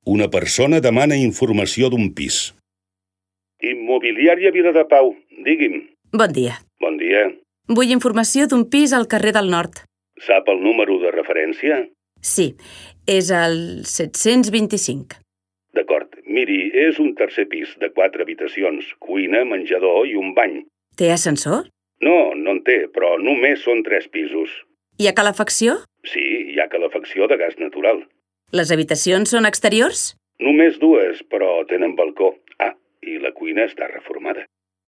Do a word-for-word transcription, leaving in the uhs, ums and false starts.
Una persona demana informació d'un pis. Immobiliària Viladepau, digui'm. Bon dia. Bon dia. Vull informació d'un pis al carrer del Nord. Sap el número de referència? Sí, és el set-cents vint-i-cinc. D'acord. Miri, és un tercer pis de quatre habitacions, cuina, menjador i un bany. Té ascensor? No, no en té, però només són tres pisos. Hi ha calefacció? Sí, hi ha calefacció de gas natural. Les habitacions són exteriors? Només dues, però tenen balcó. Ah, i la cuina està reformada.